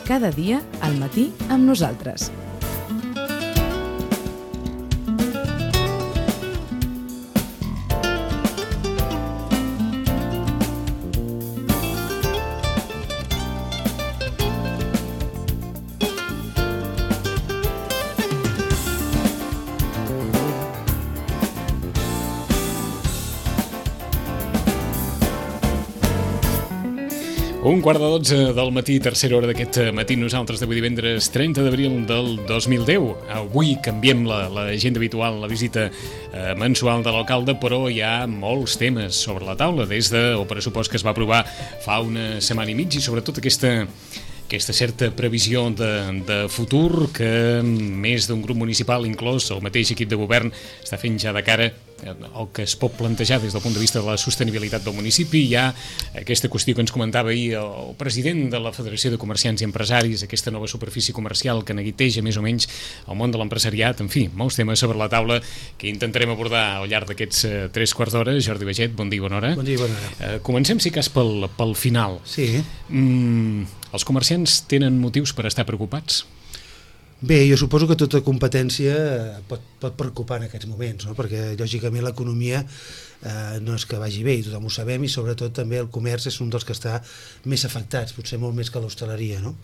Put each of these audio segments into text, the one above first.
cada dia al matí amb nosaltres. Un quart de 12 del matí, tercera hora d'aquest matí, nosaltres d'avui divendres 30 d'abril del 2010. Avui canviem l'agenda habitual, la visita mensual de l'alcalde, però hi ha molts temes sobre la taula, des del pressupost que es va aprovar fa una setmana i mig i sobretot aquesta certa previsió de futur que més d'un grup municipal, inclòs el mateix equip de govern, està fent ja de cara el que es pot plantejar des del punt de vista de la sostenibilitat del municipi. Hi ha aquesta qüestió que ens comentava ahir el president de la Federació de Comerciants i Empresaris, aquesta nova superfície comercial que neguiteja més o menys el món de l'empresariat. En fi, molts temes sobre la taula que intentarem abordar al llarg d'aquests 3 quarts d'hora. Jordi Baget, bon dia i bona hora. Bon dia i bona hora. Comencem, si cas, pel final. Sí. Els comerciants tenen motius per estar preocupats? Bé, jo suposo que tota competència pot preocupar en aquests moments, no? Perquè lògicament l'economia no és que vagi bé, i tothom ho sabem, i sobretot també el comerç és un dels que està més afectats, potser molt més que l'hostaleria, no?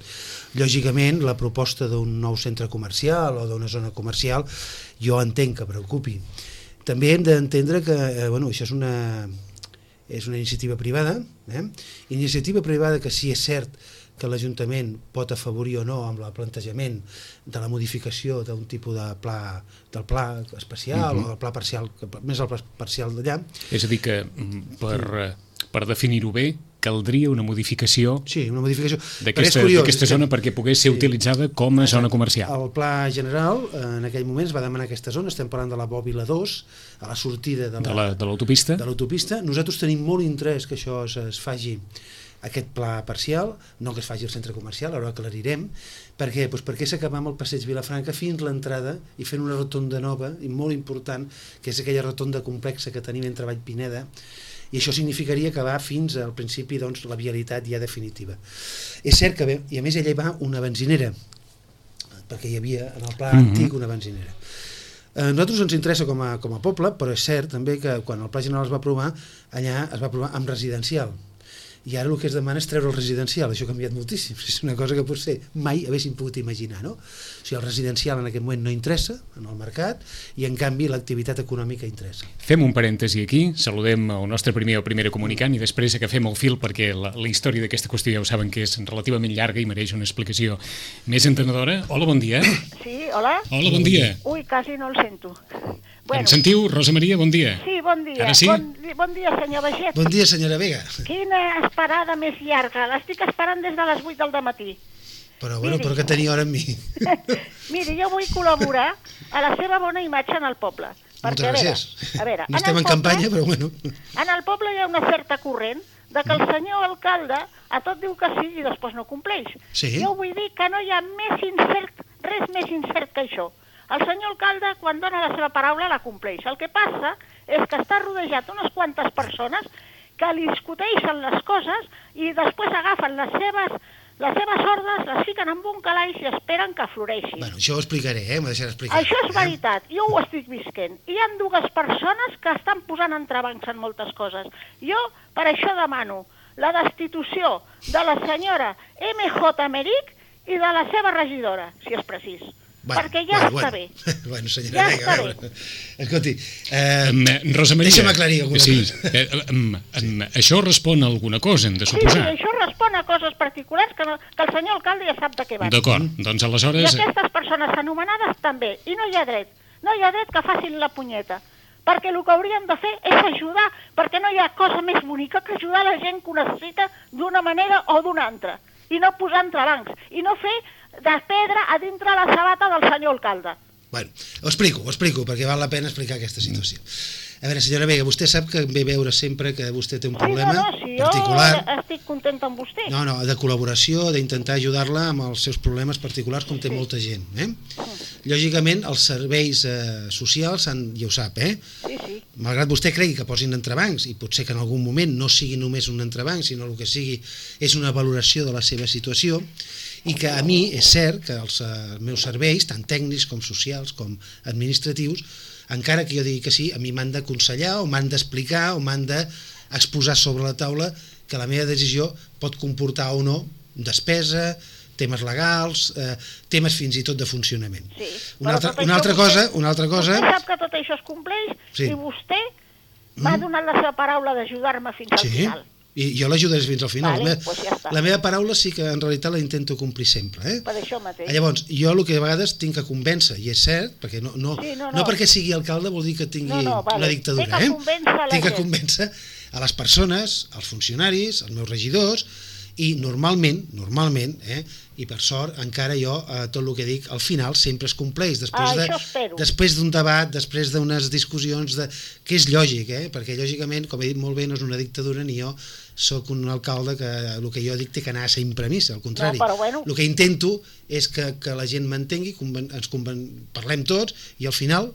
Lògicament la proposta d'un nou centre comercial o d'una zona comercial jo entenc que preocupi. També hem d'entendre que això és una iniciativa privada, iniciativa privada que sí és cert que l'Ajuntament pot afavorir o no amb el plantejament de la modificació d'un tipus de pla, del pla especial o del pla parcial, més el pla parcial d'allà. És a dir que per definir-ho bé caldria una modificació, sí, una modificació d'aquesta zona perquè pogués ser utilitzada com a zona comercial. El pla general en aquell moment es va demanar aquesta zona, estem parlant de la Bòbila 2, a la sortida de l'autopista. Nosaltres tenim molt interès que això es faci, aquest pla parcial, no que es faci el centre comercial, ara ho aclarirem. Per què? Doncs perquè s'acaba amb el passeig Vilafranca fins l'entrada i fent una rotonda nova i molt important, que és aquella rotonda complexa que tenim entre Vall Pineda, i això significaria acabar fins al principi la vialitat ja definitiva. És cert que, i a més allà hi va una benzinera, perquè hi havia en el pla antic una benzinera. A nosaltres ens interessa com a poble, però és cert també que quan el pla general es va aprovar, allà es va aprovar amb residencial. I ara el que es demana és treure el residencial. Això ha canviat moltíssim, és una cosa que potser mai haguéssim pogut imaginar, no? O sigui, el residencial en aquest moment no interessa en el mercat i en canvi l'activitat econòmica interessa. Fem un parèntesi aquí, saludem el nostre primer o primera comunicant i després agafem el fil perquè la història d'aquesta qüestió ja ho saben que és relativament llarga i mereix una explicació més entenedora. Hola, bon dia. Sí, hola. Hola, bon dia. Ui, quasi no el sento. Em sentiu? Rosa Maria, bon dia. Sí, bon dia. Ara sí? Bon dia, senyor Baget. Bon dia, senyora Vega. Quina esperada més llarga. L'estic esperant des de les 8 del dematí. Però que tenia hora amb mi. Miri, jo vull col·laborar a la seva bona imatge en el poble. Moltes gràcies. A veure, no estem en campanya, però bueno. En el poble hi ha una certa corrent de que el senyor alcalde a tot diu que sí i després no compleix. Sí? Jo vull dir que no hi ha res més incert que això. El senyor alcalde, quan dona la seva paraula, la compleix. El que passa és que està rodejat unes quantes persones que li discuteixen les coses i després agafen les seves ordres, les fiquen en un calaix i esperen que floreixi. Bueno, això ho explicaré, m'ho deixaré explicar. Això és veritat, jo ho estic visquent. Hi ha 2 persones que estan posant entrebancs en moltes coses. Jo, per això demano la destitució de la senyora MJ Merich i de la seva regidora, si és precís. Perquè ja està bé. Bueno, senyora Vega, a veure. Escolti, Rosa Maria, deixa'm aclarir alguna cosa. Això respon a alguna cosa, hem de suposar. Sí, això respon a coses particulars que el senyor alcalde ja sap de què van. D'acord, doncs aleshores... I aquestes persones anomenades també. I no hi ha dret que facin la punyeta. Perquè el que haurien de fer és ajudar, perquè no hi ha cosa més bonica que ajudar la gent que ho necessita d'una manera o d'una altra. I no posar entrebancs. I no fer de pedra a dintre la sabata del senyor alcalde. Bueno, ho explico, perquè val la pena explicar aquesta situació. A veure, senyora Vega, vostè sap que ve veure sempre que vostè té un problema particular. Jo estic contenta amb vostè. No, de col·laboració, d'intentar ajudar-la amb els seus problemes particulars, com té molta gent. Lògicament, els serveis socials, ja ho sap, Sí. Malgrat vostè cregui que posin entrebancs, i potser que en algun moment no sigui només un entrebanc, sinó el que sigui és una valoració de la seva situació, i que a mi és cert que els meus serveis, tant tècnics com socials com administratius, encara que jo digui que sí, a mi m'han d'aconsellar o m'han d'explicar o m'han d'exposar sobre la taula que la meva decisió pot comportar o no despesa, temes legals, temes fins i tot de funcionament. Sí, una altra cosa... Vostè sap que tot això es compleix i vostè m'ha donat la seva paraula d'ajudar-me fins al final. I jo l'ajudaré fins al final. Pues ja està. La meva paraula sí que en realitat la intento complir sempre. Per això mateix. Llavors, jo el que a vegades tinc que convèncer, i és cert, perquè no perquè sigui alcalde vol dir que tingui una dictadura. Tinc que convèncer a les persones, als funcionaris, als meus regidors, i normalment, i per sort, encara jo, tot el que dic, al final sempre es compleix, després d'un debat, després d'unes discussions, que és lògic, perquè lògicament, com he dit molt bé, no és una dictadura, ni jo sóc un alcalde que el que jo dic té que anar sempre a missa, al contrari. El que intento és que la gent m'entengui, parlem tots, i al final,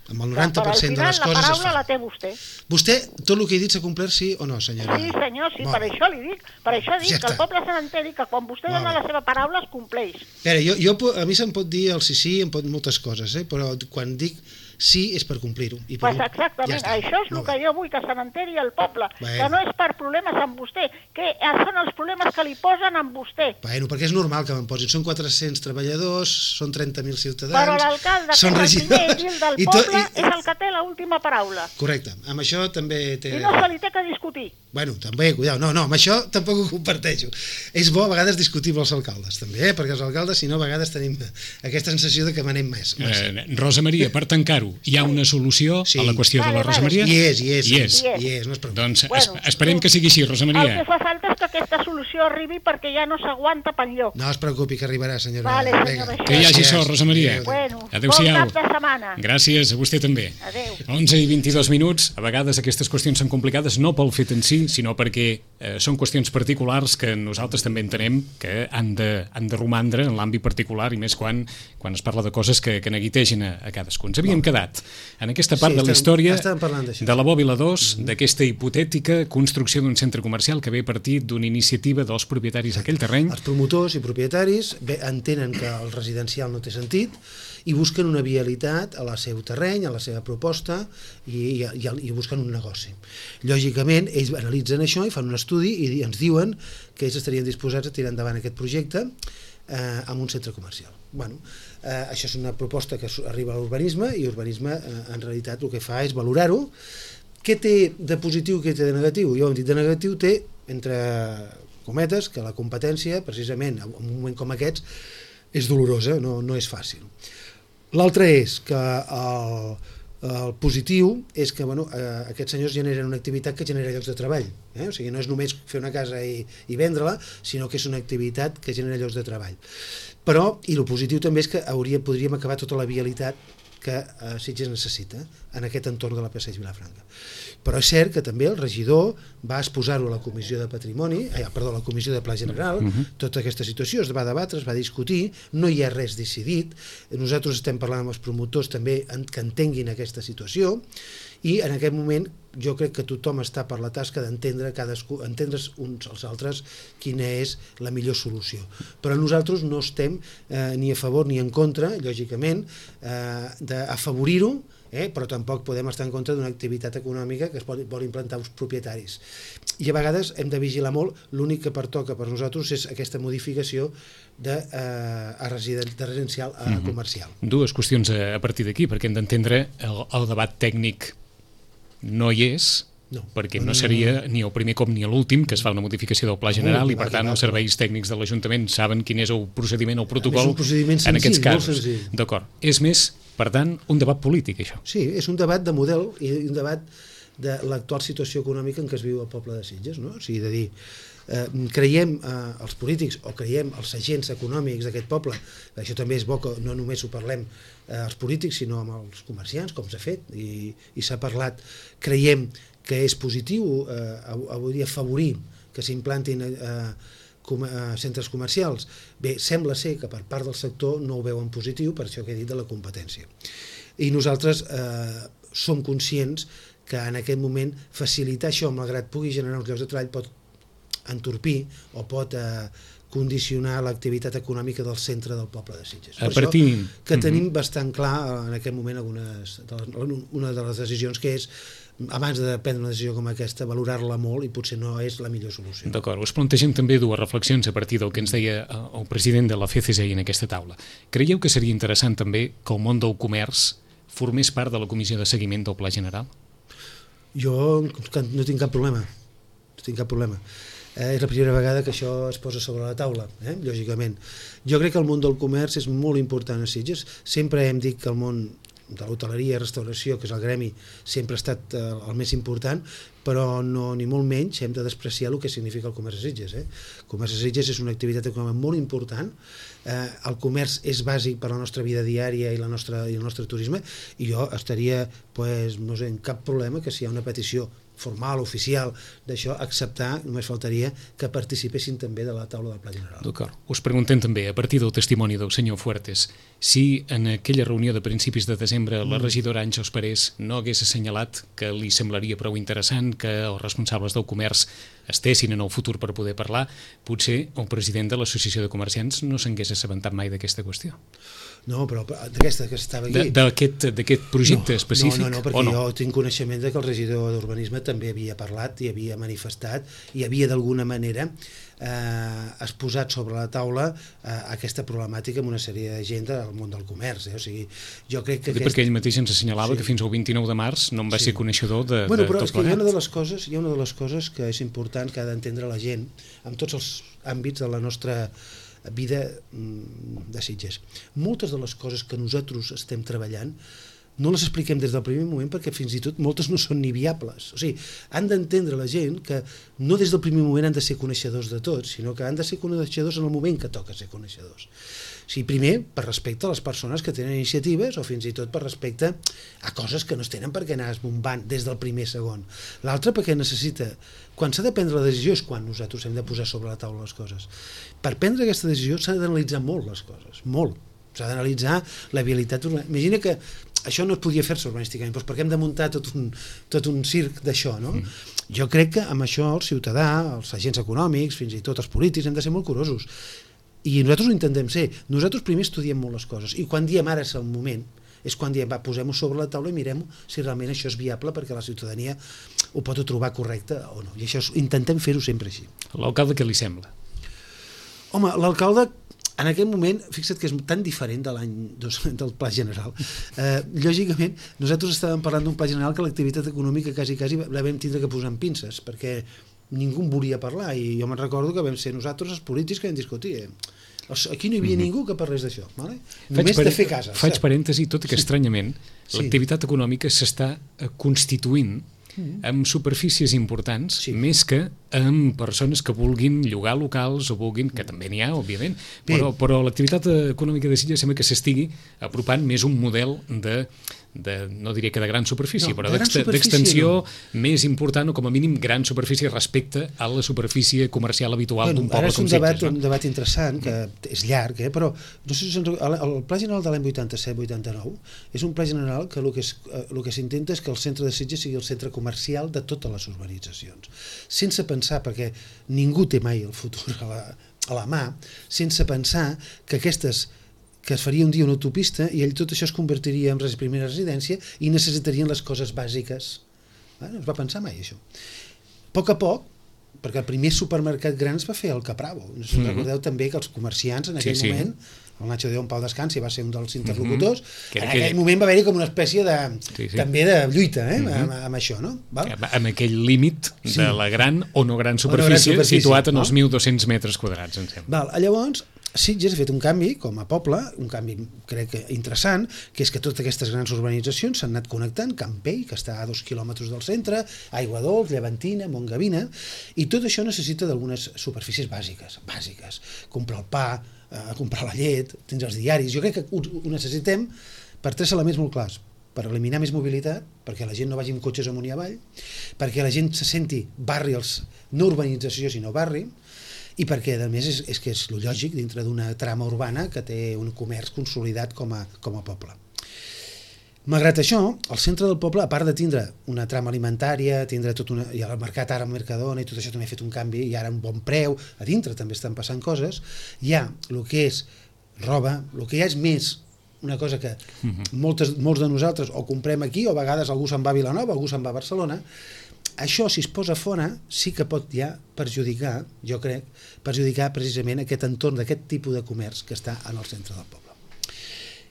amb el 90% de les coses es fa. La paraula la té vostè. Vostè, tot el que he dit s'ha complert, sí o no, senyora? Sí, senyor, sí, per això li dic. Per això dic que el poble se n'enteri que quan vostè dona la seva paraula es compleix. A mi se'm pot dir el sí, em pot moltes coses, però quan dic sí és per complir-ho. Pues exactament, això és el que jo vull, que se n'enteri el poble, que no és per problemes amb vostè, que són els problemes que li posen amb vostè. Bueno, perquè és normal que me'n posin, són 400 treballadors, són 30.000 ciutadans, però l'alcalde, que és el primer edil del poble, és el que té l'última paraula. Correcte, amb això també té... I no se li té que discutir. Bueno, també, cuidao, no, amb això tampoc ho comparteixo. És bo a vegades discutir amb els alcaldes, també, perquè els alcaldes, si no, a vegades tenim aquesta sensació de que manem més. Rosa Maria, per tancar-ho, hi ha una solució a la qüestió de la Rosa Maria? Hi és, no es preocupi. Doncs esperem que sigui així, Rosa Maria. El que fa falta és que aquesta solució arribi perquè ja no s'aguanta per enlloc. No es preocupi, que arribarà, senyora. Vale, senyora. Que hi hagi sort, Rosa Maria. Adéu-siau. Bon cap de setmana. Gràcies, a vostè també. Adéu. 11 i 22 minuts. A vegades aquestes qüestions són complicades no pel fet en si, sinó perquè són qüestions particulars que nosaltres també entenem que han de romandre en l'àmbit particular, i més quan es parla de coses que neguitegen a cadascun. Ens havíem quedat en aquesta part de la història de la Bòbila 2, d'aquesta hipotètica construcció d'un centre comercial que ve a partir d'una iniciativa dels propietaris d'aquell terreny. Els promotors i propietaris entenen que el residencial no té sentit i busquen una vialitat a la seu terreny, a la seva proposta, i busquen un negoci. Lògicament, ells analitzen això i fan un estudi i ens diuen que ells estarien disposats a tirar endavant aquest projecte amb un centre comercial. Bueno, això és una proposta que arriba a l'urbanisme, i l'urbanisme en realitat el que fa és valorar-ho. Què té de positiu, què té de negatiu? Jo hem dit de negatiu té, entre cometes, que la competència, precisament en un moment com aquests, és dolorosa, no és fàcil. L'altre és que el positiu és que aquests senyors generen una activitat que genera llocs de treball. O sigui, no és només fer una casa i vendre-la, sinó que és una activitat que genera llocs de treball. Però, i el positiu també és que podríem acabar tota la vialitat que Sitges necessita en aquest entorn de la Passeig Vilafranca. Però és cert que també el regidor va exposar-ho a la Comissió de Patrimoni, a la Comissió de Pla General, tota aquesta situació es va debatre, es va discutir, no hi ha res decidit, nosaltres estem parlant amb els promotors també que entenguin aquesta situació, i en aquest moment jo crec que tothom està per la tasca d'entendre entendre's uns als altres quina és la millor solució. Però nosaltres no estem ni a favor ni en contra, lògicament, d'afavorir-ho, però tampoc podem estar en contra d'una activitat econòmica que es vol implantar uns propietaris. I a vegades hem de vigilar molt, l'únic que pertoca per nosaltres és aquesta modificació de residencial a comercial. Dues qüestions a partir d'aquí, perquè hem d'entendre el debat tècnic no hi és, perquè no seria ni el primer cop ni l'últim que es fa una modificació del Pla General, i per tant els serveis tècnics de l'Ajuntament saben quin és el procediment, el protocol en aquests casos. D'acord. És més, per tant, un debat polític, això. Sí, és un debat de model i un debat de l'actual situació econòmica en què es viu el poble de Sitges, no? O sigui, de dir, creiem els polítics o creiem els agents econòmics d'aquest poble, això també és bo que no només ho parlem els polítics sinó amb els comerciants, com s'ha fet i s'ha parlat, creiem que és positiu avui dia afavorir que s'implantin centres comercials. Bé, sembla ser que per part del sector no ho veuen positiu, per això que he dit de la competència. I nosaltres som conscients que en aquest moment facilitar això, malgrat pugui generar uns llocs de treball, pot entorpir o pot condicionar l'activitat econòmica del centre del poble de Sitges. Per això que tenim bastant clar en aquest moment una de les decisions que és, abans de prendre una decisió com aquesta, valorar-la molt i potser no és la millor solució. D'acord, us plantegem també dues reflexions a partir del que ens deia el president de la FCCI en aquesta taula. Creieu que seria interessant també que el món del comerç formés part de la comissió de seguiment del Pla General? Jo no tinc cap problema. És la primera vegada que això es posa sobre la taula, lògicament. Jo crec que el món del comerç és molt important a Sitges. Sempre hem dit que el món de l'hoteleria i restauració, que és el gremi, sempre ha estat el més important, però no, ni molt menys hem de despreciar el que significa el comerç a Sitges. El comerç a Sitges és una activitat econòmica molt important. El comerç és bàsic per a la nostra vida diària i el nostre turisme, i jo estaria, no sé, en cap problema que si hi ha una petició formal, oficial, d'això, acceptar, només faltaria que participessin també de la taula del Pla General. D'acord. Us preguntem també, a partir del testimoni del senyor Fuertes, si en aquella reunió de principis de desembre la regidora Àngels Parés no hagués assenyalat que li semblaria prou interessant que els responsables del comerç estessin en el futur per poder parlar, potser el president de l'Associació de Comerciants no s'hagués assabentat mai d'aquesta qüestió. No, però d'aquesta que estava aquí... D'aquest projecte específic? No, perquè jo tinc coneixement que el regidor d'Urbanisme també havia parlat i havia manifestat i havia d'alguna manera exposat sobre la taula aquesta problemàtica amb una sèrie de gent del món del comerç. O sigui, jo crec que... Perquè ell mateix ens assenyalava que fins al 29 de març no en va ser coneixedor de tot plegat. Però és que hi ha una de les coses que és important que ha d'entendre la gent en tots els àmbits de la nostra vida de Sitges. Moltes de les coses que nosaltres estem treballant no les expliquem des del primer moment perquè fins i tot moltes no són ni viables. O sigui, han d'entendre la gent que no des del primer moment han de ser coneixedors de tot, sinó que han de ser coneixedors en el moment que toca ser coneixedors. O sigui, primer, per respecte a les persones que tenen iniciatives o fins i tot per respecte a coses que no es tenen per què anar esbombant des del primer segon. L'altre perquè necessita... Quan s'ha de prendre la decisió és quan nosaltres hem de posar sobre la taula les coses. Per prendre aquesta decisió s'ha d'analitzar molt les coses, molt. S'ha d'analitzar la viabilitat. Imagina que això no es podia fer-se urbanísticament, doncs perquè hem de muntar tot un circ d'això, no? Jo crec que amb això el ciutadà, els agents econòmics, fins i tot els polítics, hem de ser molt curosos. I nosaltres ho intentem ser. Nosaltres primer estudiem molt les coses i quan diem ara és el moment, és quan diem, posem-ho sobre la taula i mirem si realment això és viable perquè la ciutadania ho pot trobar correcte o no. I això intentem fer-ho sempre així. L'alcalde què li sembla? Home, l'alcalde en aquest moment, fixa't que és tan diferent de l'any del Pla General. Lògicament, nosaltres estàvem parlant d'un Pla General que l'activitat econòmica quasi la vam tindre que posar en pinces, perquè ningú en volia parlar, i jo me'n recordo que vam ser nosaltres els polítics que vam discutir. Aquí no hi havia ningú que parlés d'això, només de fer cases. Faig parèntesi, tot i que estranyament l'activitat econòmica s'està constituint amb superfícies importants, més que amb persones que vulguin llogar locals o vulguin, que també n'hi ha, òbviament, però l'activitat econòmica de Sitges sembla que s'estigui apropant més un model no diria que de gran superfície, però d'extensió més important o com a mínim gran superfície respecte a la superfície comercial habitual d'un poble com Sitges. Ara és un debat interessant, que és llarg, però no sé si el Pla General de l'any 87-89 és un pla general que el que s'intenta és que el centre de Sitges sigui el centre comercial de totes les urbanitzacions, sense pensar, perquè ningú té mai el futur a la mà, sense pensar que es faria un dia una autopista i tot això es convertiria en primera residència i necessitarien les coses bàsiques. No es va pensar mai això. A poc, perquè el primer supermercat gran es va fer al Capravo. No sé si recordeu també que els comerciants en aquell moment, el Nacho Déu en pau descansi va ser un dels interlocutors, en aquell moment va haver-hi com una espècie també de lluita amb això, no? Amb aquell límit de la gran o no gran superfície situat en els 1.200 metres quadrats, em sembla. Llavors, Sitges ha fet un canvi com a poble, un canvi crec que interessant, que és que totes aquestes grans urbanitzacions s'han anat connectant, Campell, que està a 2 quilòmetres del centre, Aiguadols, Llevantina, Montgavina, i tot això necessita d'algunes superfícies bàsiques, comprar el pa, comprar la llet, tens els diaris, jo crec que ho necessitem per 3 elements molt clars: per eliminar més mobilitat, perquè la gent no vagi amb cotxes amunt i avall, perquè la gent se senti barri, no urbanització sinó barri, i perquè a més és que és lo lògic dintre d'una trama urbana que té un comerç consolidat com a poble. Malgrat això, el centre del poble, a part de tindre una trama alimentària, i el mercat ara, Mercadona, i tot això també ha fet un canvi, i ara un bon preu, a dintre també estan passant coses, hi ha el que és roba, el que hi ha és més una cosa que molts de nosaltres o comprem aquí, o a vegades algú se'n va a Vilanova, algú se'n va a Barcelona. Això, si es posa fora, sí que pot ja perjudicar, jo crec, precisament aquest entorn d'aquest tipus de comerç que està en el centre del poble.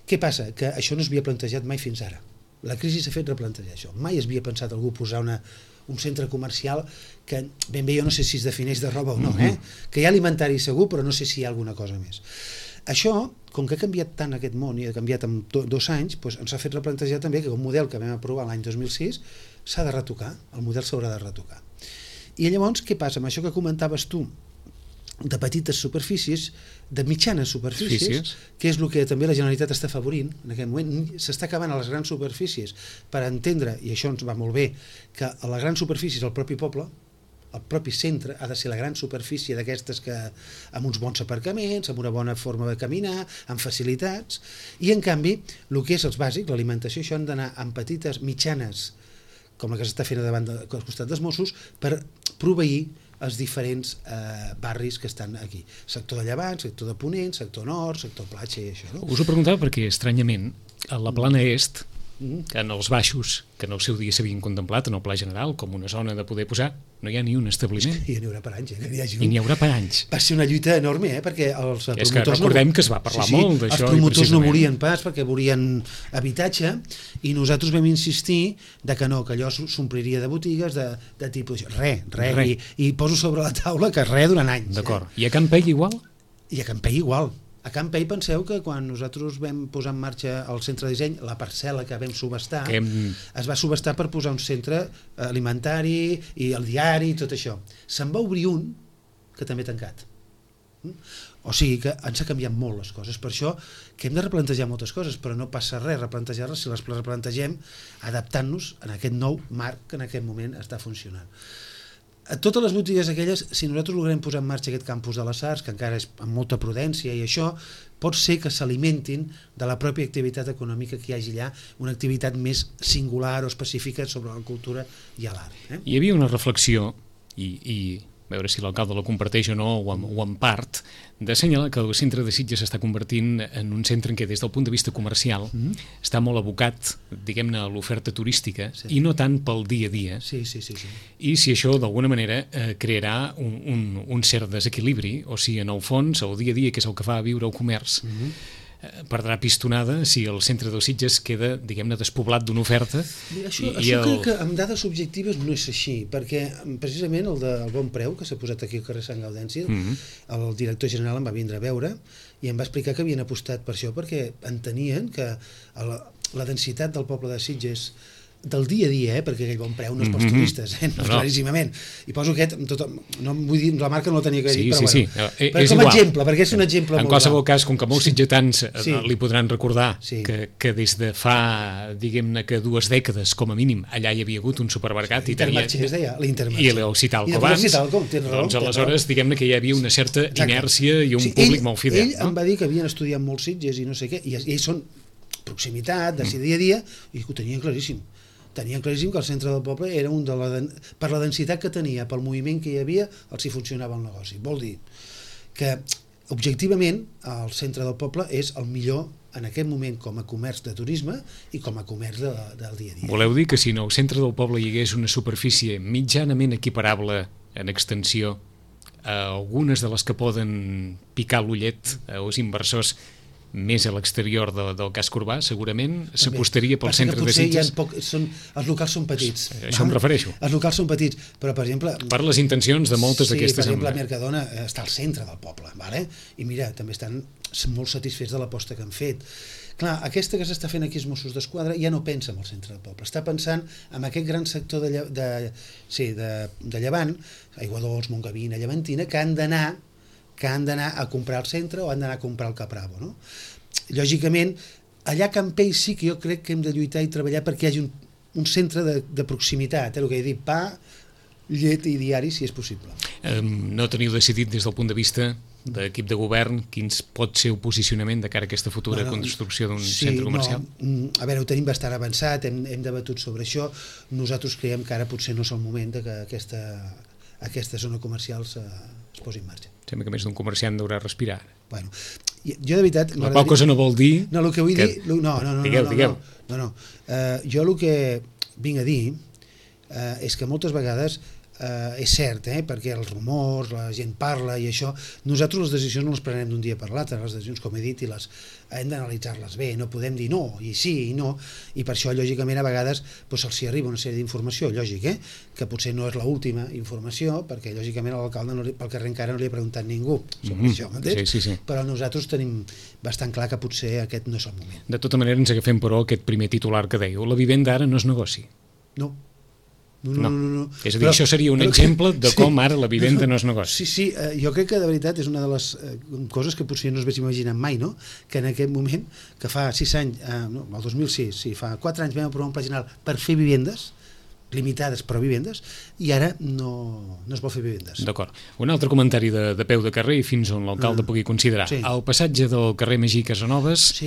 Què passa? Que això no s'havia plantejat mai fins ara. La crisi s'ha fet replantejar això. Mai es havia pensat algú posar un centre comercial que ben bé jo no sé si es defineix de roba o no, que hi ha alimentari segur, però no sé si hi ha alguna cosa més. Això, com que ha canviat tant aquest món i ha canviat en 2 anys, doncs ens ha fet replantejar també que un model que vam aprovar l'any 2006 s'ha de retocar, el model s'haurà de retocar. I llavors, què passa amb això que comentaves tu, de petites superfícies, de mitjanes superfícies, que és el que també la Generalitat està afavorint en aquest moment. S'està acabant a les grans superfícies per entendre, i això ens va molt bé, que a les grans superfícies el propi poble, el propi centre ha de ser la gran superfície d'aquestes que amb uns bons aparcaments, amb una bona forma de caminar, amb facilitats, i en canvi el que és els bàsics, l'alimentació, això han d'anar amb petites, mitjanes, com la que s'està fent davant al costat dels Mossos, per proveir els diferents barris que estan aquí. Sector de Llevant, sector de Ponent, sector Nord, sector Platja i això. No? Us ho preguntava perquè, estranyament, a la plana est, que en els baixos, que en el seu dia s'havien contemplat en el Pla General com una zona de poder posar, no hi ha ni un establiment. I n'hi haurà per anys, que n'hi hagi un. I n'hi haurà per anys. Va ser una lluita enorme, perquè els promotors... És que recordem que es va parlar molt d'això. Els promotors no volien pas perquè volien habitatge, i nosaltres vam insistir que no, que allò s'ompliria de botigues de tipus... Res. I poso sobre la taula que res durant anys. D'acord. I a Can Pegui igual? I a Can Pegui igual. A Can Pei, penseu que quan nosaltres vam posar en marxa el centre de disseny, la parcel·la que vam subestar, es va subestar per posar un centre alimentari i el diari i tot això. Se'n va obrir un que també ha tancat. O sigui que ens ha canviat molt les coses. Per això que hem de replantejar moltes coses, però no passa res replantejar-les si les replantegem adaptant-nos en aquest nou marc que en aquest moment està funcionant. A totes les botigues aquelles, si nosaltres logrem posar en marxa aquest campus de les arts, que encara és amb molta prudència i això, pot ser que s'alimentin de la pròpia activitat econòmica que hi hagi allà, una activitat més singular o específica sobre la cultura i l'art. Hi havia una reflexió, i a veure si l'alcalde la comparteix o no, o en part, d'assenyalar que el centre de Sitges s'està convertint en un centre en què des del punt de vista comercial està molt abocat, diguem-ne, a l'oferta turística i no tant pel dia a dia. Sí. I si això d'alguna manera crearà un cert desequilibri, o sigui, en el fons, el dia a dia, que és el que fa viure el comerç, perdrà pistonada si el centre dels Sitges queda, diguem-ne, despoblat d'una oferta. Això crec que amb dades objectives no és així, perquè precisament el del Bon Preu, que s'ha posat aquí al carrer Sant Gaudència, el director general em va vindre a veure i em va explicar que havien apostat per això, perquè entenien que la densitat del poble de Sitges del dia a dia, perquè aquell Bon Preu no és pels turistes, claríssimament. I poso aquest, no vull dir, la marca no la tenia que dir, però com a exemple, perquè és un exemple molt... En qualsevol cas, com que molts sitgetans li podran recordar que des de fa, diguem-ne, que 2 dècades, com a mínim, allà hi havia hagut un supermercat i el Citalco abans, doncs aleshores, diguem-ne que hi havia una certa inèrcia i un públic molt fidel. Ell em va dir que havien estudiat molts Sitges i no sé què, i ells són proximitat, de dia a dia, i ho tenien claríssim. Tenien claríssim que el centre del poble era per la densitat que tenia, pel moviment que hi havia, els hi funcionava el negoci. Vol dir que, objectivament, el centre del poble és el millor en aquest moment com a comerç de turisme i com a comerç del dia a dia. Voleu dir que si no al centre del poble hi hagués una superfície mitjanament equiparable en extensió a algunes de les que poden picar l'ullet als inversors més a l'exterior del casc urbà, segurament s'apostaria pel centre de Sitges. Els locals són petits. Això em refereixo. Els locals són petits, però per exemple... Per les intencions de moltes d'aquestes... Sí, per exemple, Mercadona està al centre del poble, i mira, també estan molt satisfets de l'aposta que han fet. Clar, aquesta que s'està fent aquí als Mossos d'Esquadra ja no pensa en el centre del poble, està pensant en aquest gran sector de Llevant, Aiguadols, Montgavina, Llevantina, que han d'anar a comprar al centre o han d'anar a comprar al Capravo, no? Lògicament, allà a Can Pei sí que jo crec que hem de lluitar i treballar perquè hi hagi un centre de proximitat, el que he dit, pa, llet i diari, si és possible. No teniu decidit des del punt de vista d'equip de govern, quin pot ser el posicionament de cara a aquesta futura construcció d'un centre comercial? A veure, ho tenim bastant avançat, hem debatut sobre això. Nosaltres creiem que ara potser no és el moment que aquesta zona comercial es posi en marxa. Sembla que més d'un comerciant deurà respirar. Bueno, jo de veritat... La qual cosa no vol dir... No, el que vull dir... No. Digueu. Jo el que vinc a dir és que moltes vegades és cert, perquè els rumors, la gent parla i això, nosaltres les decisions no les prenem d'un dia per l'altre, les decisions, com he dit, i hem d'analitzar-les bé, no podem dir no, i sí, i no, i per això, lògicament, a vegades se'ls arriba una sèrie d'informació, lògic, que potser no és l'última informació, perquè, lògicament, a l'alcalde pel carrer encara no li ha preguntat ningú sobre això, m'entens? Sí. Però nosaltres tenim bastant clar que potser aquest no és el moment. De tota manera, ens agafem, però, aquest primer titular que dèieu, la vivenda ara no és negoci. No. És a dir, això seria un exemple de com ara la vivenda no és negoci. Sí, jo crec que de veritat és una de les coses que potser no es hagués imaginat mai, no? Que en aquest moment, que fa 6 anys, el 2006, fa 4 anys vam aprovar un pla general per fer vivendes, limitades però vivendes, i ara no es vol fer vivendes. D'acord. Un altre comentari de peu de carrer i fins on l'alcalde pugui considerar. El passatge del carrer Magí Casanovas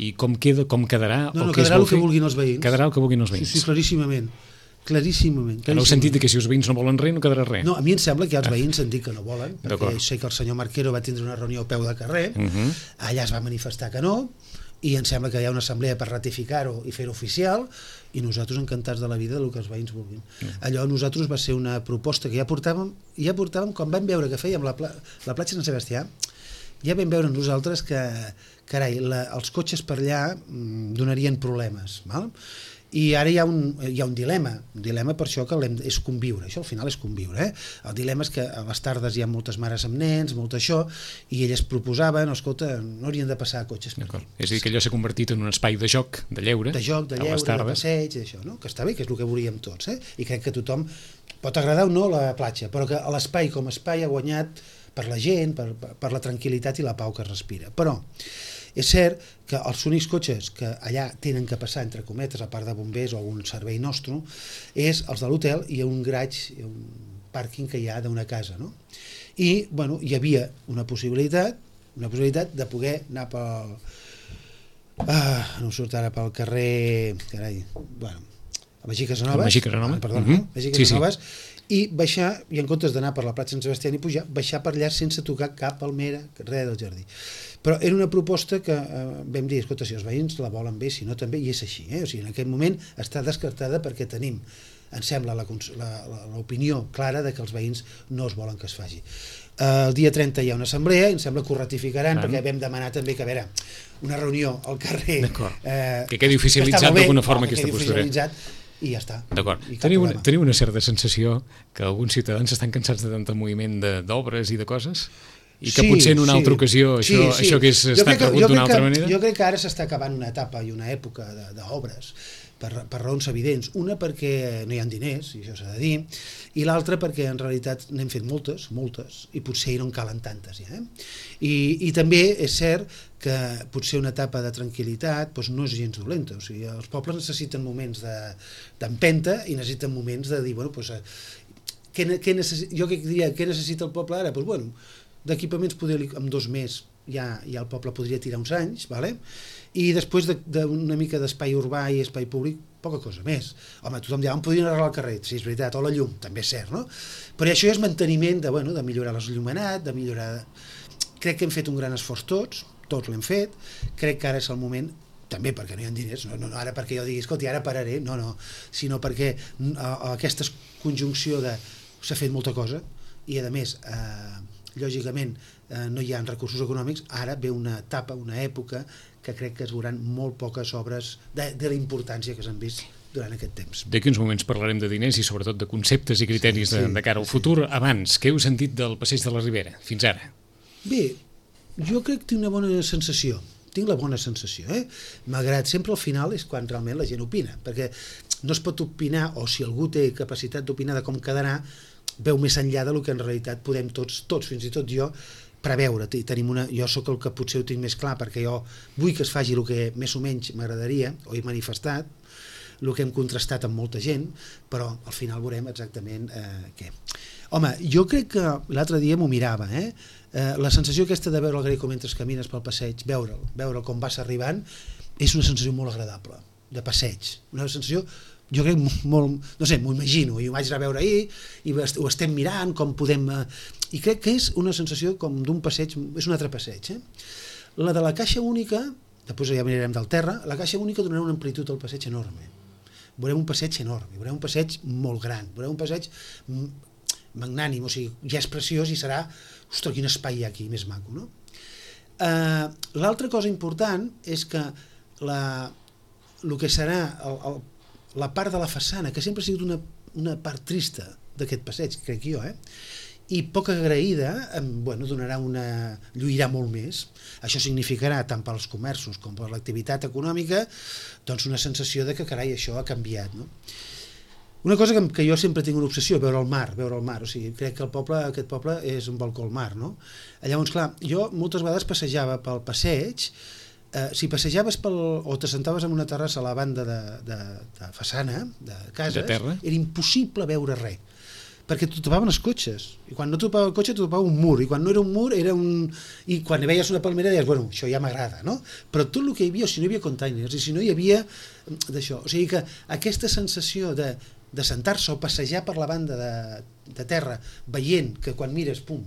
i com quedarà... No, quedarà el que vulguin els veïns. Quedarà el que vulguin els veïns. Sí, claríssimament. En el sentit que si els veïns no volen res, no quedarà res. No, a mi em sembla que els veïns han dit que no volen, perquè sé que el senyor Marquero va tindre una reunió a peu de carrer, allà es va manifestar que no, i em sembla que hi ha una assemblea per ratificar-ho i fer-ho oficial, i nosaltres encantats de la vida del que els veïns vulguin. Allò nosaltres va ser una proposta que ja portàvem quan vam veure que fèiem la platja Sant Sebastià, ja vam veure nosaltres que, carai, els cotxes per allà donarien problemes, val? I ara hi ha un dilema per això que és conviure, això al final és conviure. El dilema és que a les tardes hi ha moltes mares amb nens, molt això, i elles proposaven, escolta, no haurien de passar cotxes per aquí. És a dir, que allò s'ha convertit en un espai de joc, de lleure, de passeig, d'això, no? Que està bé, que és el que volíem tots, i crec que tothom pot agradar o no la platja, però que l'espai com a espai ha guanyat per la gent, per la tranquil·litat i la pau que es respira. Però és cert que els únics cotxes que allà tenen que passar, entre cometes, a part de bombers o algun servei nostre, és els de l'hotel i un garatge, un pàrquing que hi ha d'una casa, no? I, bueno, hi havia una possibilitat de poder anar pel... no em surt ara pel carrer... Carai, bueno, a Magí Casanovas. Magí Casanovas. Magí Casanovas. I baixar, i en comptes d'anar per la platja Sant Sebastià i pujar, baixar per allà sense tocar cap palmera, res del jardí. Però era una proposta que vam dir, escolta, si els veïns la volen bé, si no també, i és així. O sigui, en aquest moment està descartada perquè tenim, em sembla, l'opinió clara de que els veïns no es volen que es faci. El dia 30 hi ha una assemblea, i em sembla que ho ratificaran, perquè vam demanar també que, a veure, una reunió al carrer... que quedi oficialitzat d'alguna forma aquesta postura. I ja està. D'acord. Teniu una certa sensació que alguns ciutadans estan cansats de tant moviment d'obres i de coses? I que potser en una altra ocasió això hagués estat rebut d'una altra manera? Jo crec que ara s'està acabant una etapa i una època d'obres per raons evidents. Una perquè no hi ha diners, i això s'ha de dir, i l'altra perquè en realitat n'hem fet moltes, i potser no en calen tantes ja. I també és cert que potser una etapa de tranquil·litat no és gens dolenta. O sigui, els pobles necessiten moments d'empenta i necessiten moments de dir, bueno, jo diria, què necessita el poble ara? Doncs, bueno, d'equipaments en 2 mesos ja el poble podria tirar uns anys, i després d'una mica d'espai urbà i espai públic, poca cosa més. Home, tothom dirà, on podrien arreglar el carrer? Sí, és veritat, o la llum, també és cert, no? Però això és manteniment de millorar l'esllumenat, de millorar... Crec que hem fet un gran esforç tots l'hem fet, crec que ara és el moment, també perquè no hi ha diners, no ara perquè jo digui, escolta, ara pararé, no, sinó perquè aquesta conjunció s'ha fet molta cosa, i a més, lògicament, no hi ha recursos econòmics, ara ve una etapa, una època que crec que es veuran molt poques obres de la importància que s'han vist durant aquest temps. D'aquí uns moments parlarem de diners i sobretot de conceptes i criteris de cara al futur. Abans, què heu sentit del Passeig de la Ribera, fins ara? Bé, jo crec que tinc una bona sensació. Tinc la bona sensació, malgrat sempre al final és quan realment la gent opina, perquè no es pot opinar, o si algú té capacitat d'opinar de com quedarà, veu més enllà del que en realitat podem tots, fins i tot jo, preveure. Jo sóc el que potser ho tinc més clar, perquè jo vull que es faci el que més o menys m'agradaria, o he manifestat, el que hem contrastat amb molta gent, però al final veurem exactament què. Home, jo crec que l'altre dia m'ho mirava, la sensació aquesta de veure el Greco mentre camines pel passeig, veure'l com vas arribant, és una sensació molt agradable, de passeig, una sensació, jo crec molt, no sé, m'ho imagino, i ho vaig anar a veure ahir, i ho estem mirant, com podem... I crec que és una sensació com d'un passeig, és un altre passeig. La de la caixa única, després ja mirarem del terra, la caixa única donarà una amplitud al passeig enorme. Veurem un passeig enorme, veurem un passeig molt gran, veurem un passeig magnànim, o sigui, ja és preciós i serà, ostres, quin espai hi ha aquí, més maco, no? L'altra cosa important és que el que serà la part de la façana, que sempre ha sigut una part trista d'aquest passeig, crec jo, i poc agraïda, lluirà molt més. Això significarà, tant pels comerços com per l'activitat econòmica, doncs una sensació de que, carai, això ha canviat, no? Una cosa que jo sempre tinc una obsessió, veure el mar, o sigui, crec que aquest poble és un balcó al mar, no? Llavors, clar, jo moltes vegades passejava pel passeig, si passejaves o t'assentaves en una terrassa a la banda de façana, de cases, era impossible veure res, perquè t'ho topaven els cotxes, i quan no topava el cotxe t'ho topava un mur, i quan no era un mur i quan hi veies una palmera deies, bueno, això ja m'agrada, no? Però tot el que hi havia, o si no hi havia containers, i si no hi havia d'això, o sigui que aquesta sensació de sentar-se o passejar per la banda de terra, veient que quan mires, pum,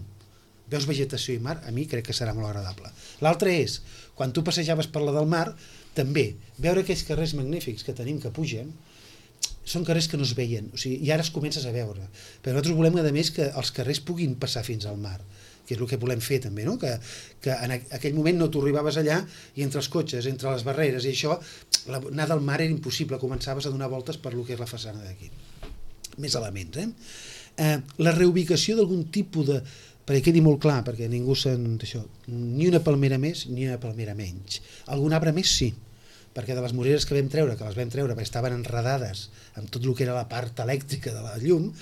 veus vegetació i mar, a mi crec que serà molt agradable. L'altre és, quan tu passejaves per la del mar, també, veure aquells carrers magnífics que tenim que pugen, són carrers que no es veien, o sigui, i ara es comences a veure, però nosaltres volem, a més, que els carrers puguin passar fins al mar, que és el que volem fer també, no? Que en aquell moment no t'ho arribaves allà i entre els cotxes, entre les barreres i això, anar del mar era impossible, començaves a donar voltes per lo que és la façana d'aquí. Més elements, la reubicació d'algun tipus de... perquè quedi molt clar, perquè ningú d'això, ni una palmera més ni una palmera menys. Algun arbre més sí, perquè de les moreres que vam treure, perquè estaven enredades amb tot el que era la part elèctrica de la llum,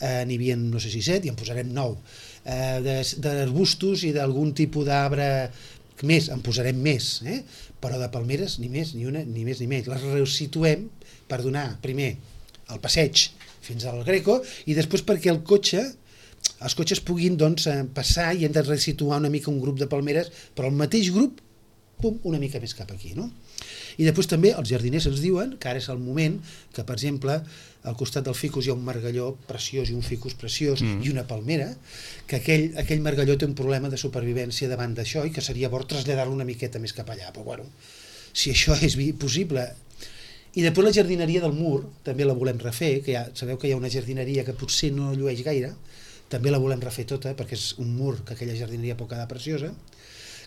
n'hi havia, no sé si 7, i en posarem 9. D'arbustos i d'algun tipus d'arbre més, en posarem més, però de palmeres ni més, ni una, ni més ni menys. Les resituem per donar, primer, el passeig fins al Greco, i després perquè els cotxes puguin passar i hem de resituar una mica un grup de palmeres, però el mateix grup, pum, una mica més cap aquí, no? I després també els jardiners ens diuen que ara és el moment que, per exemple, al costat del ficus hi ha un margalló preciós i un ficus preciós i una palmera, que aquell margalló té un problema de supervivència davant d'això i que seria bo traslladar-lo una miqueta més cap allà, però bueno, si això és possible. I després la jardineria del mur també la volem refer, que sabeu que hi ha una jardineria que potser no llueix gaire, també la volem refer tota perquè és un mur que aquella jardineria pot quedar preciosa.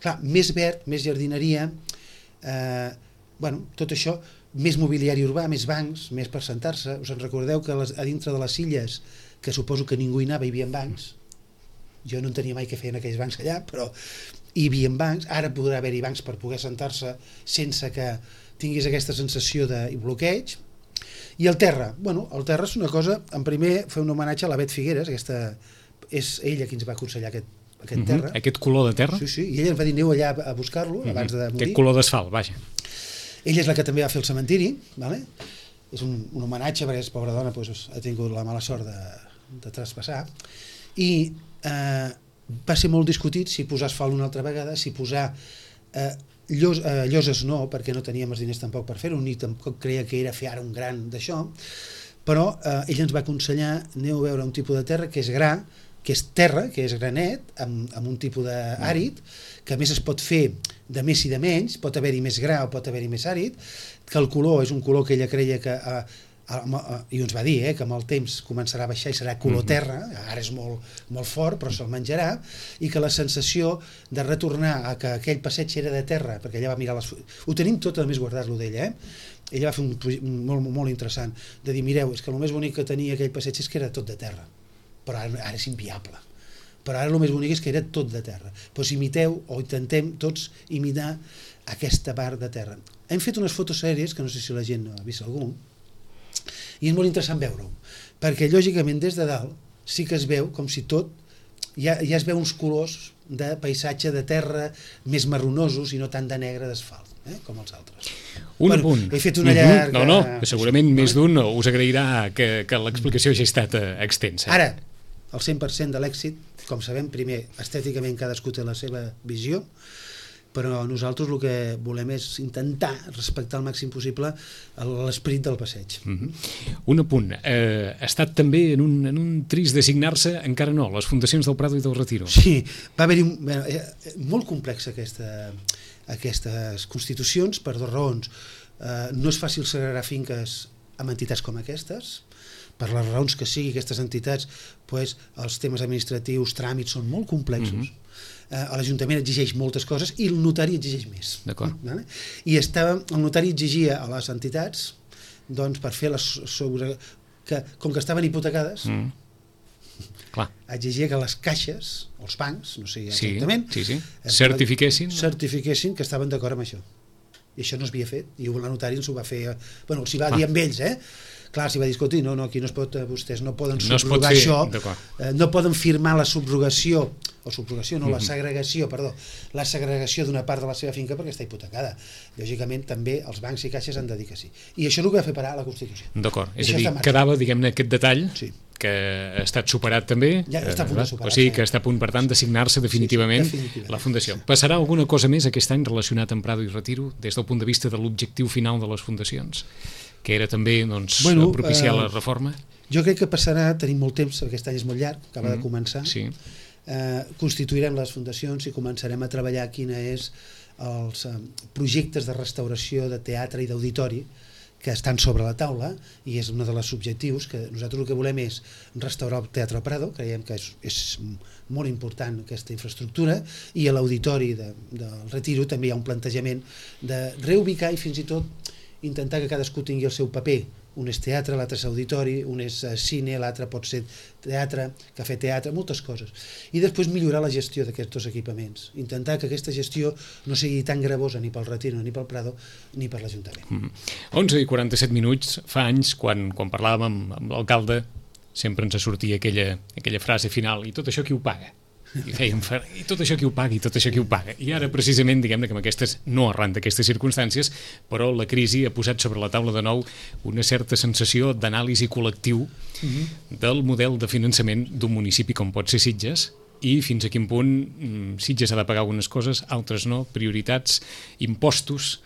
Clar, més verd, més jardineria, tot això, més mobiliari urbà, més bancs, més per sentar-se. Us en recordeu que a dintre de les illes, que suposo que ningú hi anava, hi havia bancs. Jo no entenia mai què feien aquells bancs allà, però hi havia bancs. Ara podrà haver-hi bancs per poder sentar-se sense que tinguis aquesta sensació de bloqueig. I el terra, el terra és una cosa, en primer fer un homenatge a la Bet Figueres, és ella qui ens va aconsellar aquest terra. Aquest color de terra? Sí, i ella ens va dir aneu allà a buscar-lo abans de morir. Aquest color d'asfalt, vaja. Ella és la que també va fer el cementiri, és un homenatge perquè és pobra dona, ha tingut la mala sort de traspassar, i va ser molt discutit si posar asfalt una altra vegada, si posar lloses no, perquè no teníem els diners tampoc per fer-ho, ni tampoc creia que era fer ara un gran d'això, però ella ens va aconsellar aneu a veure un tipus de terra que és gra, que és terra, que és granet, amb un tipus d'àrid, que a més es pot fer de més i de menys, pot haver-hi més gra o pot haver-hi més àrid, que el color és un color que ella creia que, i ens va dir, que amb el temps començarà a baixar i serà color terra, ara és molt fort, però se'l menjarà, i que la sensació de retornar a que aquell passeig era de terra, perquè ella va mirar ho tenim tot a més guardar-lo d'ella, ella va fer un molt interessant, de dir, mireu, és que el més bonic que tenia aquell passeig és que era tot de terra, però ara és inviable. Però ara el més bonic és que era tot de terra. Doncs imiteu, o intentem tots imitar aquesta part de terra. Hem fet unes fotos sèries, que no sé si la gent ha vist algú, i és molt interessant veure-ho, perquè lògicament des de dalt sí que es veu com si tot, ja es veu uns colors de paisatge de terra més marronosos i no tant de negre d'asfalt, com els altres. Un punt. He fet una llarga... No, segurament més d'un us agrairà que l'explicació hagi estat extensa. Ara, el 100% de l'èxit. Com sabem, primer, estèticament cadascú té la seva visió, però nosaltres el que volem és intentar respectar al màxim possible l'esperit del passeig. Un apunt, ha estat també en un trist designar-se, encara no, les fundacions del Prado i del Retiro. Sí, va haver-hi molt complexa aquestes constitucions per dues raons. No és fàcil segregar finques amb entitats com aquestes, per les raons que sigui aquestes entitats, els temes administratius, tràmits són molt complexos. L'Ajuntament exigeix moltes coses i el notari exigeix més. D'acord. I el notari exigia a les entitats, doncs, per fer com que estaven hipotecades, exigia que les caixes, els bancs, no sé exactament, certifiquessin que estaven d'acord amb això. I això no s'havia fet, i el notari ens ho va fer, els hi va dir amb ells, clar, s'hi va dir, escolti, no, aquí no es pot, vostès no poden subrogar això, no poden firmar la segregació d'una part de la seva finca perquè està hipotecada. Lògicament, també els bancs i caixes han de dir que sí. I això és el que va fer parar la Constitució. D'acord, és a dir, quedava, diguem-ne, aquest detall que ha estat superat també, ja està a punt de superar, o sigui que està a punt, per tant, d'assignar-se definitivament la Fundació. Passarà alguna cosa més aquest any relacionat amb Prado i Retiro, des del punt de vista de l'objectiu final de les fundacions, que era també propiciar la reforma? Jo crec que passarà, tenim molt temps, aquest any és molt llarg, acaba de començar, constituirem les fundacions i començarem a treballar quina és els projectes de restauració de teatre i d'auditori que estan sobre la taula, i és un dels objectius que nosaltres el que volem és restaurar el Teatre Prado, creiem que és molt important aquesta infraestructura, i a l'auditori del Retiro també hi ha un plantejament de reubicar i fins i tot intentar que cadascú tingui el seu paper. Un és teatre, l'altre és auditori, un és cine, l'altre pot ser teatre, cafè teatre, moltes coses. I després millorar la gestió d'aquests dos equipaments. Intentar que aquesta gestió no sigui tan gravosa ni pel Retiro, ni pel Prado, ni per l'Ajuntament. 11:47, fa anys, quan parlàvem amb l'alcalde, sempre ens sortia aquella frase final, i tot això qui ho paga? I tot això qui ho paga, i tot això qui ho paga. I ara, precisament, diguem-ne que amb aquestes, no arran d'aquestes circumstàncies, però la crisi ha posat sobre la taula de nou una certa sensació d'anàlisi col·lectiu del model de finançament d'un municipi com pot ser Sitges, i fins a quin punt Sitges ha de pagar algunes coses, altres no, prioritats, impostos.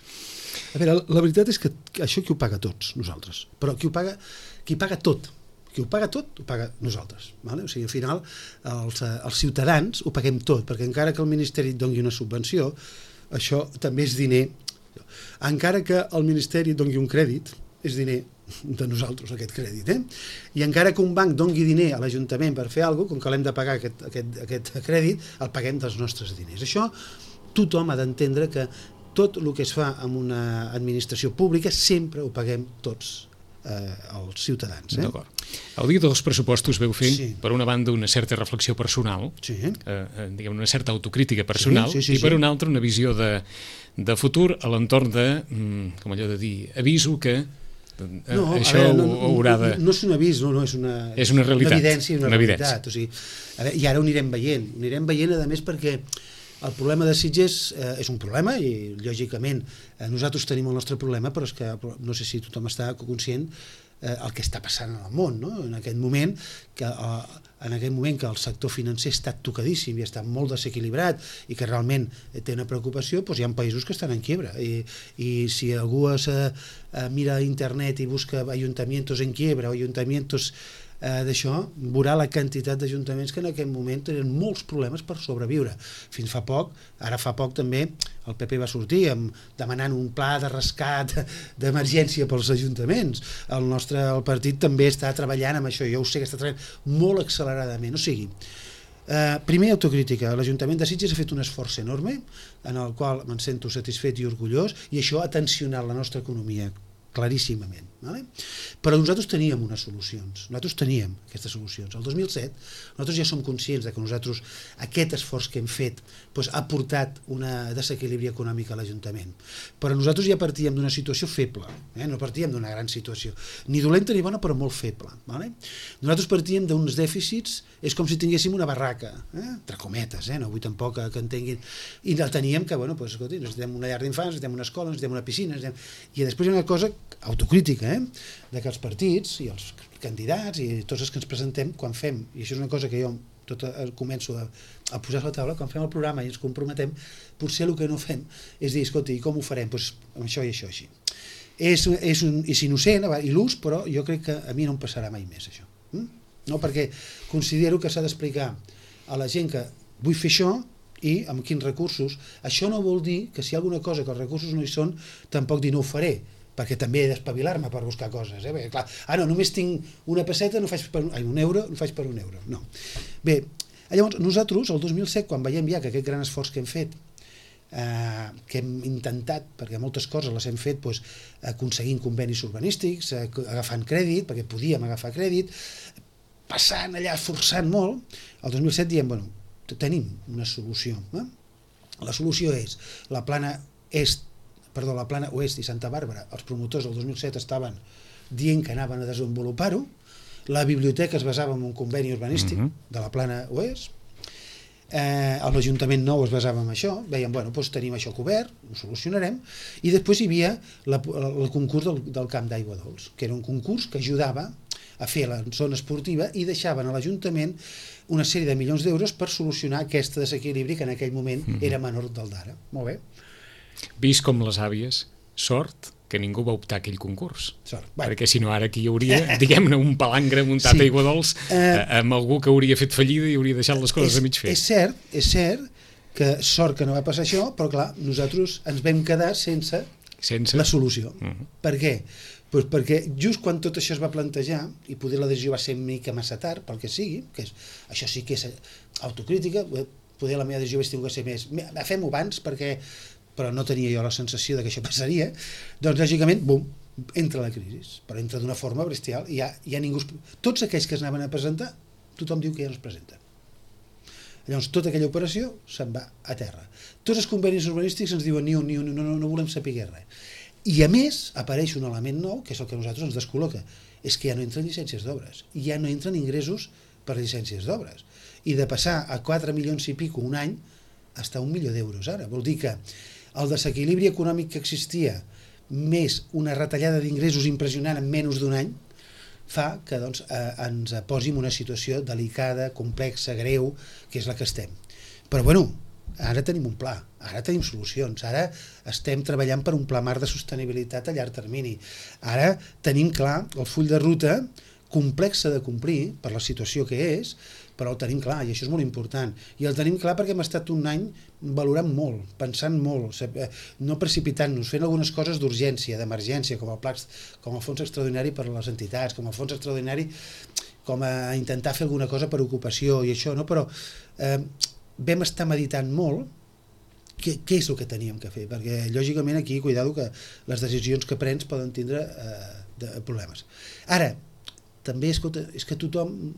A veure, la veritat és que això qui ho paga tots, nosaltres, però qui paga tot, qui ho paga tot, ho paga nosaltres. O sigui, al final, els ciutadans ho paguem tot, perquè encara que el Ministeri et doni una subvenció, això també és diner. Encara que el Ministeri et doni un crèdit, és diner de nosaltres, aquest crèdit. I encara que un banc doni diner a l'Ajuntament per fer alguna cosa, com que l'hem de pagar aquest crèdit, el paguem dels nostres diners. Això tothom ha d'entendre que tot el que es fa en una administració pública sempre ho paguem tots als ciutadans. D'acord. El dia dels pressupostos veu fer, per una banda, una certa reflexió personal, diguem, una certa autocrítica personal, i per una altra una visió de futur a l'entorn de, com allò de dir, aviso que això haurà de... No és un avís, no, és una realitat, una evidència i una realitat. O sigui, i ara ho anirem veient, a més, perquè el problema de Sitges és un problema i, lògicament, nosaltres tenim el nostre problema, però és que no sé si tothom està conscient el que està passant en el món, no? En aquest moment que el sector financer està tocadíssim i està molt desequilibrat i que realment té una preocupació, doncs hi ha països que estan en quiebra i si algú mira a internet i busca ayuntamientos en quiebra o ayuntamientos d'això, veurà la quantitat d'ajuntaments que en aquest moment tenen molts problemes per sobreviure. Fins fa poc, ara fa poc també, el PP va sortir demanant un pla de rescat d'emergència pels ajuntaments. El partit també està treballant amb això, jo ho sé que està treballant molt acceleradament. O sigui, primer, autocrítica. L'Ajuntament de Sitges ha fet un esforç enorme, en el qual me'n sento satisfet i orgullós, i això ha tensionat la nostra economia claríssimament. Però nosaltres teníem unes solucions, nosaltres teníem aquestes solucions. El 2007 nosaltres ja som conscients que nosaltres aquest esforç que hem fet ha portat un desequilibri econòmic a l'Ajuntament, però nosaltres ja partíem d'una situació feble, no partíem d'una gran situació, ni dolenta ni bona, però molt feble. Nosaltres partíem d'uns dèficits, és com si tinguéssim una barraca, entre cometes, no vull tampoc que entenguin, i la teníem que, escolti, necessitem una llar d'infants, necessitem una escola, necessitem una piscina, i després hi ha una cosa autocrítica, de que els partits i els candidats i tots els que ens presentem, quan fem, i això és una cosa que jo començo a posar a la taula, quan fem el programa i ens comprometem, potser el que no fem és dir, escolta, i com ho farem? Doncs amb això i això, així. És innocent, il·lús, però jo crec que a mi no em passarà mai més, això. No? Perquè considero que s'ha d'explicar a la gent que vull fer això i amb quins recursos. Això no vol dir que si hi ha alguna cosa que els recursos no hi són, tampoc dir no ho faré, perquè també he d'espavilar-me per buscar coses. Perquè, clar, no, només tinc una pesseta, un euro, no faig per un euro. No. Bé, llavors, nosaltres, el 2007, quan veiem ja que aquest gran esforç que hem fet, que hem intentat, perquè moltes coses les hem fet aconseguint convenis urbanístics, agafant crèdit, perquè podíem agafar crèdit, passant allà, forçant molt, el 2007 diem, bueno, tenim una solució. La solució és la plana oest i Santa Bàrbara. Els promotors del 2007 estaven dient que anaven a desenvolupar-ho. La biblioteca es basava en un conveni urbanístic de la plana oest. L'Ajuntament nou es basava en això. Veiem, bueno, doncs tenim això cobert, ho solucionarem. I després hi havia el concurs del Camp d'Aigua Dols, que era un concurs que ajudava a fer la zona esportiva i deixaven a l'Ajuntament una sèrie de milions d'euros per solucionar aquest desequilibri que en aquell moment era menor del d'ara. Molt bé. Vist com les àvies, sort que ningú va optar a aquell concurs. Sort. Perquè si no ara aquí hi hauria, diguem-ne, un palangre muntat a Aigua Dols amb algú que hauria fet fallida i hauria deixat les coses a mig fer. És cert que sort que no va passar això, però clar, nosaltres ens vam quedar sense la solució. Per què? Pues perquè just quan tot això es va plantejar, i poder la decisió va ser una mica massa tard, pel que sigui, això sí que és autocrítica, poder la meva decisió hauria tingut que ser més, fem-ho abans però no tenia jo la sensació de que això passaria, doncs lògicament, bum, entra la crisi, però entra d'una forma bestial, i ja ningú... Tots aquells que es anaven a presentar, tothom diu que ja no es presenta. Llavors, tota aquella operació se'n va a terra. Tots els convenis urbanístics ens diuen no volem saber res. I a més, apareix un element nou, que és el que a nosaltres ens descol·loca, és que ja no entren llicències d'obres, ja no entren ingressos per llicències d'obres. I de passar a 4 milions i pico un any, hasta 1 milió d'euros ara. Vol dir que el desequilibri econòmic que existia, més una retallada d'ingressos impressionant en menys d'un any, fa que ens posi en una situació delicada, complexa, greu, que és la que estem. Però bueno, ara tenim un pla, ara tenim solucions, ara estem treballant per un pla marc de sostenibilitat a llarg termini. Ara tenim clar el full de ruta complexa de complir per la situació que és, però el tenim clar, i això és molt important. I el tenim clar perquè hem estat un any valorant molt, pensant molt, no precipitant-nos, fent algunes coses d'urgència, d'emergència, com el fons extraordinari per a les entitats, com el fons extraordinari com a intentar fer alguna cosa per ocupació i això, no? Però vam estar meditant molt què és el que teníem que fer, perquè lògicament aquí, cuidado, que les decisions que prens poden tindre problemes. Ara, també, escolta, és que tothom...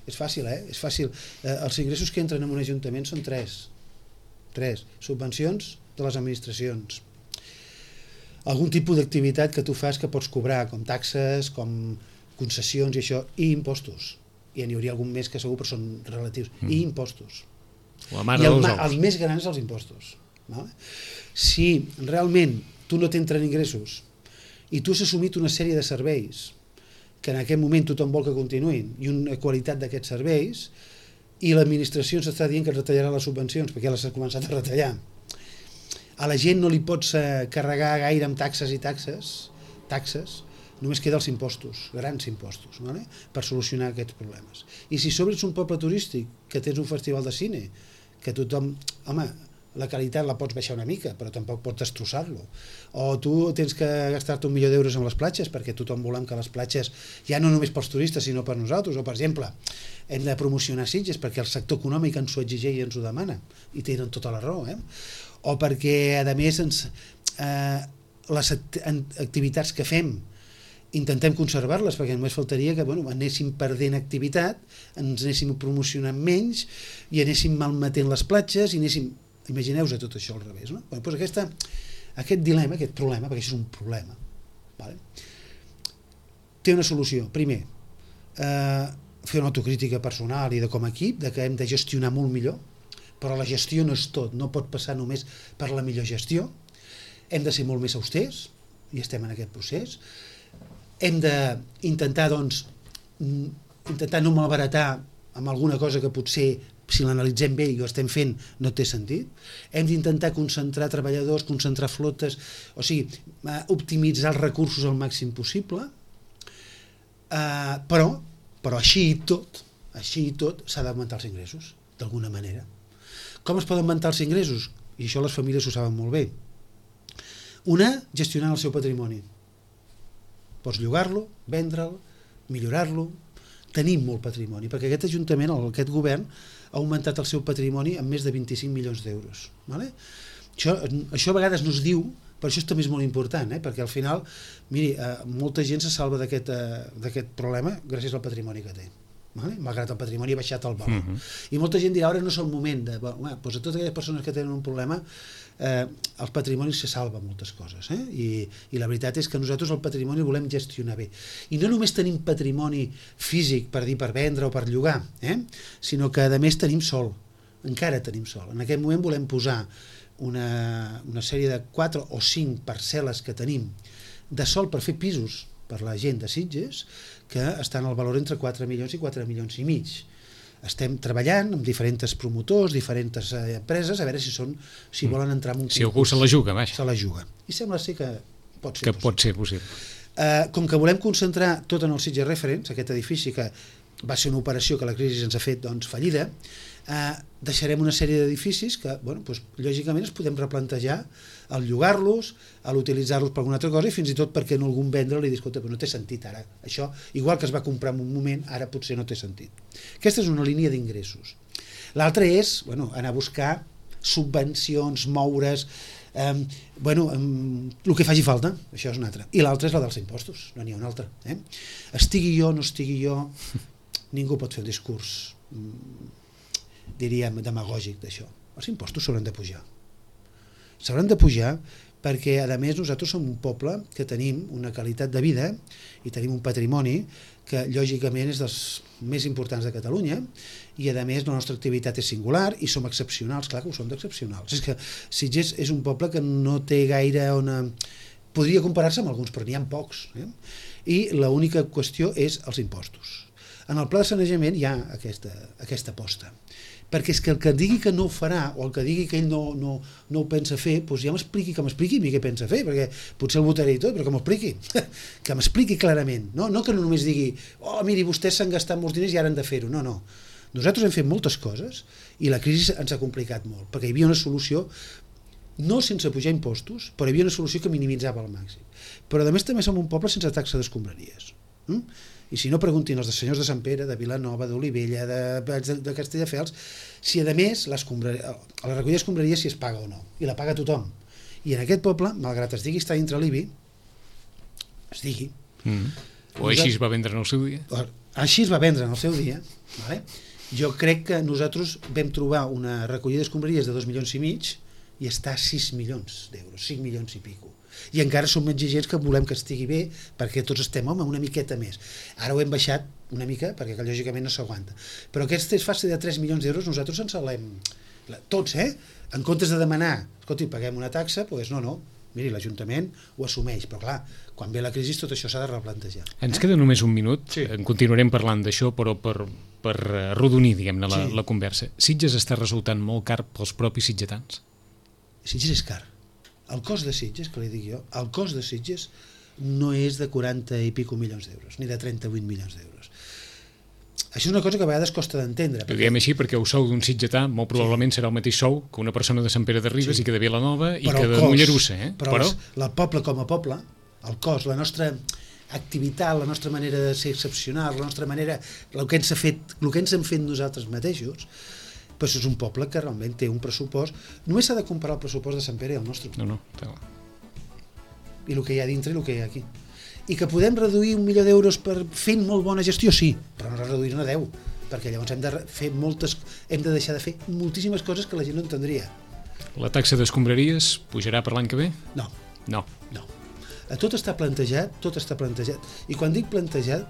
És fàcil, és fàcil. Els ingressos que entren en un ajuntament són tres. Subvencions de les administracions. Algun tipus d'activitat que tu fas que pots cobrar, com taxes, com concessions i això, i impostos. I n'hi hauria algun més que segur, però són relatius. I impostos. I els més grans els impostos. Si realment tu no t'entren ingressos i tu has assumit una sèrie de serveis que en aquest moment tothom vol que continuïn, i una qualitat d'aquests serveis, i l'administració ens està dient que retallarà les subvencions, perquè ja les ha començat a retallar. A la gent no li pots carregar gaire amb taxes i taxes, només queda els impostos, grans impostos, per solucionar aquests problemes. I si sobre ets un poble turístic, que tens un festival de cine, que tothom... Home, la qualitat la pots baixar una mica, però tampoc pots destrossar-lo. O tu tens que gastar-te 1 milió d'euros amb les platges, perquè tothom volem que les platges, ja no només pels turistes, sinó per nosaltres. O, per exemple, hem de promocionar Sitges, perquè el sector econòmic ens ho exigeix i ens ho demana, i tenen tota la raó. O perquè, a més, les activitats que fem intentem conservar-les, perquè només faltaria que anéssim perdent activitat, ens anéssim promocionant menys, i anéssim malmetent les platges, i anéssim... Imagineu-vos tot això al revés, no? Doncs aquest dilema, aquest problema, perquè això és un problema, té una solució. Primer, fer una autocrítica personal i de com a equip, de que hem de gestionar molt millor, però la gestió no és tot, no pot passar només per la millor gestió, hem de ser molt més austers, i estem en aquest procés, hem d'intentar, doncs, intentar no malbaratar amb alguna cosa que potser, si l'analitzem bé i ho estem fent, no té sentit. Hem d'intentar concentrar treballadors, concentrar flotes, o sigui, optimitzar els recursos al màxim possible, però així i tot s'ha d'augmentar els ingressos, d'alguna manera. Com es poden augmentar els ingressos? I això les famílies ho saben molt bé. Una, gestionant el seu patrimoni. Pots llogar-lo, vendre'l, millorar-lo. Tenim molt patrimoni, perquè aquest Ajuntament, aquest govern, ha augmentat el seu patrimoni en més de 25 milions d'euros. Vale? Això a vegades no es diu, però això també és molt important, perquè al final, miri, molta gent se salva d'aquest problema gràcies al patrimoni que té. Vale? Malgrat el patrimoni ha baixat el valor. I molta gent dirà, ara no és el moment de... Doncs a totes aquelles persones que tenen un problema, els patrimonis se salven moltes coses. I la veritat és que nosaltres el patrimoni el volem gestionar bé. I no només tenim patrimoni físic per dir, per vendre o per llogar, sinó que a més tenim sol. Encara tenim sol. En aquest moment volem posar una sèrie de 4 o 5 parcel·les que tenim de sol per fer pisos per la gent de Sitges, que estan al valor entre 4 milions i 4 milions i mig. Estem treballant amb diferents promotors, diferents empreses, a veure si volen entrar en un concurs. Si algú se la juga, vaja. Se la juga. I sembla ser que pot ser possible. Pot ser possible. Com que volem concentrar tot en el Sitges Reference, aquest edifici que va ser una operació que la crisi ens ha fet fallida, deixarem una sèrie d'edificis que, lògicament, es podem replantejar al llogar-los, a l'utilitzar-los per alguna altra cosa i fins i tot perquè no algun vendre li diu, escolta, però no té sentit ara. Això, igual que es va comprar en un moment, ara potser no té sentit. Aquesta és una línia d'ingressos. L'altra és anar a buscar subvencions, moure's, el que faci falta, això és una altra. I l'altra és la dels impostos, no n'hi ha una altra. Estigui jo, no estigui jo, ningú pot fer un discurs, diríem, demagògic d'això. Els impostos s'hauran de pujar. S'hauran de pujar perquè, a més, nosaltres som un poble que tenim una qualitat de vida i tenim un patrimoni que, lògicament, és dels més importants de Catalunya i, a més, la nostra activitat és singular i som excepcionals, clar que ho som d'excepcionals. És que Sitges és un poble que no té gaire podria comparar-se amb alguns, però n'hi ha pocs. I l'única qüestió és els impostos. En el pla de sanejament hi ha aquesta aposta. Perquè és que el que digui que no ho farà o el que digui que ell no ho pensa fer, doncs ja m'expliqui a mi què pensa fer, perquè potser el votaré i tot, però que m'expliqui clarament. No que no només digui, miri, vostès s'han gastat molts diners i ara han de fer-ho. No. Nosaltres hem fet moltes coses i la crisi ens ha complicat molt, perquè hi havia una solució, no sense pujar impostos, però hi havia una solució que minimitzava al màxim. Però a més també som un poble sense taxa d'escombraries. I si no, preguntin els senyors de Sant Pere, de Vilanova, d'Olivella, de Castelldefels, si a més la recollida d'escombraria si es paga o no, i la paga tothom. I en aquest poble, malgrat es digui estar dintre l'IBI, es digui... O així es va vendre en el seu dia. Així es va vendre en el seu dia. Jo crec que nosaltres vam trobar una recollida d'escombraries de 2 milions i mig i està a 6 milions d'euros, 5 milions i pico. I encara som exigents que volem que estigui bé perquè tots estem, una miqueta més. Ara ho hem baixat una mica perquè lògicament no s'aguanta. Però aquest fase de 3 milions d'euros nosaltres ens l'hem... Tots, en comptes de demanar, escolti, paguem una taxa, doncs no. Miri, l'Ajuntament ho assumeix, però clar, quan ve la crisi tot això s'ha de replantejar. Ens queda només un minut, sí. En continuarem parlant d'això, però per arrodonir, diguem-ne, la conversa. Sitges està resultant molt car pels propis sitgetans? Sitges és car. El cost de Sitges, que li dic jo, el cost de Sitges no és de 40 i pico milions d'euros, ni de 38 milions d'euros. Això és una cosa que a vegades costa d'entendre. Ho diem així perquè el sou d'un sitgetà molt probablement serà el mateix sou que una persona de Sant Pere de Ribes i que de Vilanova i que de Mollerussa. Però el poble com a poble, el cost, la nostra activitat, la nostra manera de ser excepcional, la nostra manera, el que ens hem fet nosaltres mateixos, però és un poble que realment té un pressupost. Només s'ha de comparar el pressupost de Sant Pere i el nostre. No. I el que hi ha dintre i el que hi ha aquí. I que podem reduir 1 milió d'euros fent molt bona gestió, sí, però no reduir-ne 10, perquè llavors hem de deixar de fer moltíssimes coses que la gent no entendria. La taxa d'escombraries pujarà per l'any que ve? No. Tot està plantejat. I quan dic plantejat,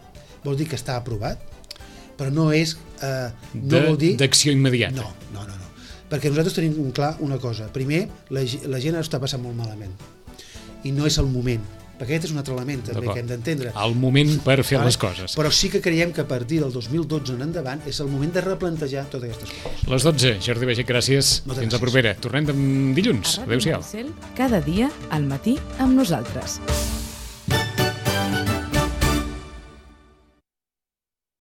vol dir que està aprovat, però no és... d'acció immediata. No. Perquè nosaltres tenim clar una cosa. Primer, la gent està passant molt malament. I no és el moment perquè aquest és un altre element també que hem d'entendre. El moment per fer les coses. Però sí que creiem que a partir del 2012 en endavant és el moment de replantejar totes aquestes coses. Les 12, Jordi Baiget, gràcies. Fins la propera. Tornem dilluns. Adéu-siau. Cada dia al matí amb nosaltres.